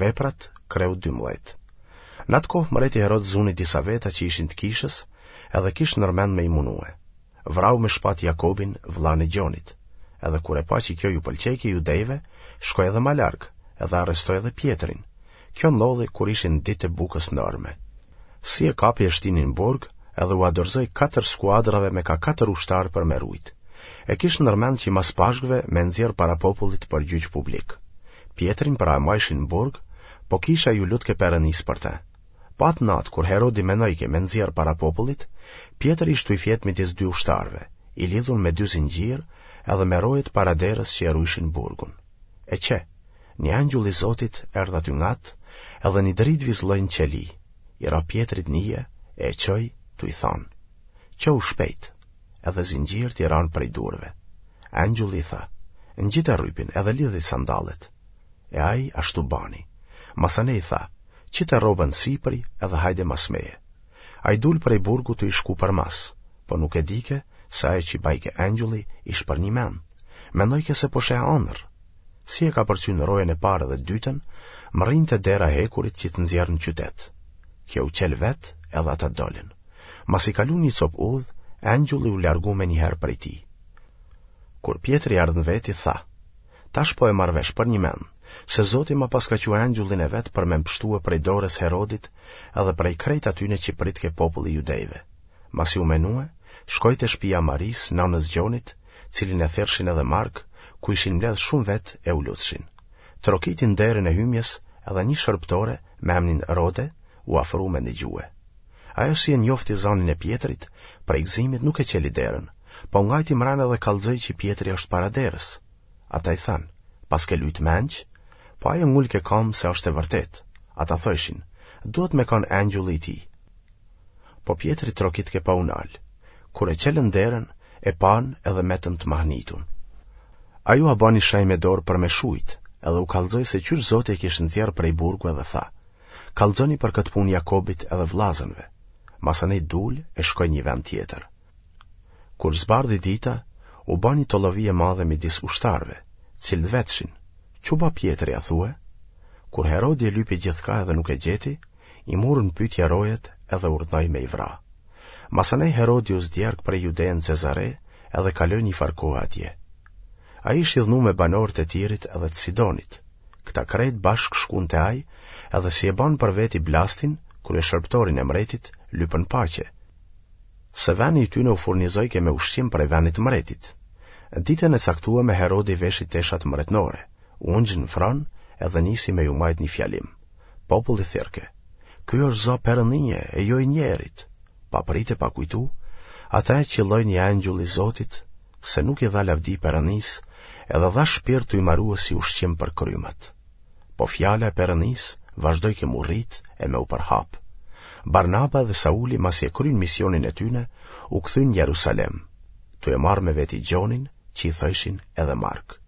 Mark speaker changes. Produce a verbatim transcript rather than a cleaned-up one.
Speaker 1: Veprat, kreu dymbëdhjetë. Në atë kohë mreti Herod zuni disa veta që ishin të kishës, edhe kish ndërmend me i munue. Vrau me shpatë Jakobin, vëllanë e Gjonit. Edhe kur e pa që kjo ju pëlqejke judejve, shkoi edhe ma larg, edhe arrestoi edhe Pjetrin. Kjo ndodhi kur ishin ditët e bukës ndorme. Si e kapi e shtini në burg, edhe ua dorëzoi katër skuadrave me ka katër ushtarë për me rujt. E kish ndërmend që mas Pashkëve me nxjerr para popullit për gjyq publik. Pjetrin pra e majshin në burg, po kisha ju lutke Perënisë për të. Po atë natë, kur Herodi menojke me nxjerr para popullit, Pjetri ish tuj fjetë midis dy ushtarëve, i lidhun me dy zinxhirë edhe me rojet para derës që e rujshin burgun. E qe, një engjull i Zotit erdh aty ngat, edhe një dritë vizëlloi në qeli, i ra Pjetrit n'ije e e çoi tuj thanë, Çohu shpejt! Edhe zinxhirët i ranë prej durve. Engjulli i tha, Ngjite rrypin edhe lidhi sandallet. E ai ashtu bani. Masanej i tha, Qite rrobën sipri edhe hajde mas meje. Ai dul prej burgut tuj i shku përmas, po nuk e dike se ajo që bajke engjulli ish përnjëmend. Mendojke se po sheh andërr. Si e kapërcyn rojën e parë dhe dytën, mrrin te dera e hekurit që të nxjerr në qytet. Kjo u çel vetë edhe ata dolën. Masi kalun një copë udhë, engjulli u largu menjëherë prej tij. Kur Pjetri erdh në veti, tha, Tash po e marr vesh përnjëmend, se Zoti ma paska çu engjëllin e vet për me m'pshtue prej dorës Herodit edhe prej krejt atyne që pritke populli i judejve. Masi u menue, shkoi te shpia e Marisë, nanës Gjonit, cilin e thirrshin edhe Mark, ku ishin mbledhë shumë vetë e u lutshin. Trokiti në derën e hymjes edhe një shërbëtore me emnin Rode u afru me ndëgjue. Ajo si e njofti zanin e Pjetrit, prej gëzimit nuk e çeli derën, po ngajti mrena dhe kallxoi që Pjetri është para derës. Ata i thanë, paske lujt menç? Po ajo ngulke kamë se është e vërtetë. Ata thojshin, duhet me kanë engjulli i tij. Po Pjetri trokitke pa u nalë. Kur e çelën derën, e panë edhe metën të mahnitun. Ai ua bani shenjë me dorë për me shujt, edhe u kallxoi se qysh Zoti e kish nxjerrë prej burgu edhe tha, Kallxoni për këtë punë Jakobit edhe vllazënve. Masanej dul e shkoi një vend tjetër. Kur zbardhi dita, u ba një tollovi e madhe midis ushtarëve, cilët vetshin, Ç'u ba Pjetri, a thue? Kur Herodi e lypi gjithkah edhe nuk e gjeti, i mur në pyetje rojet edhe urdhnoi me i vra. Masanej Herodi u zdjerk prej Judeje në Cezare edhe kaloi një farë kohe atje. Ai ish idhnu me banorët e Tirit edhe të Sidonit. Këta krejt bashkë shkun te ai edhe si e banë për veti Blastin, kryeshërbëtorin e mretit, lypën paqe, se veni i tyne u furnizojke me ushqim prej venit të mretit. Ditën e caktueme Herodi veshi teshat mretnore, u ungj në fron edhe nisi me ju majtë një fjalim. Populli thirrke, Ky është za perëndie e jo i njerit. Pa pritë e pa kujtu, atë e qëlloi një engjull i Zotit, se nuk i dha lavdi Perëndisë, edhe dha shpirt tuj marue si ushqim për krymat. Po fjala e Perëndisë vazhdojke m'u rrit e me u përhap. Barnaba dhe Sauli masi e kryen misionin e tyne, u kthyen në Jerusalem, tu e marrë me veti Gjonin, që i thojshin edhe Mark.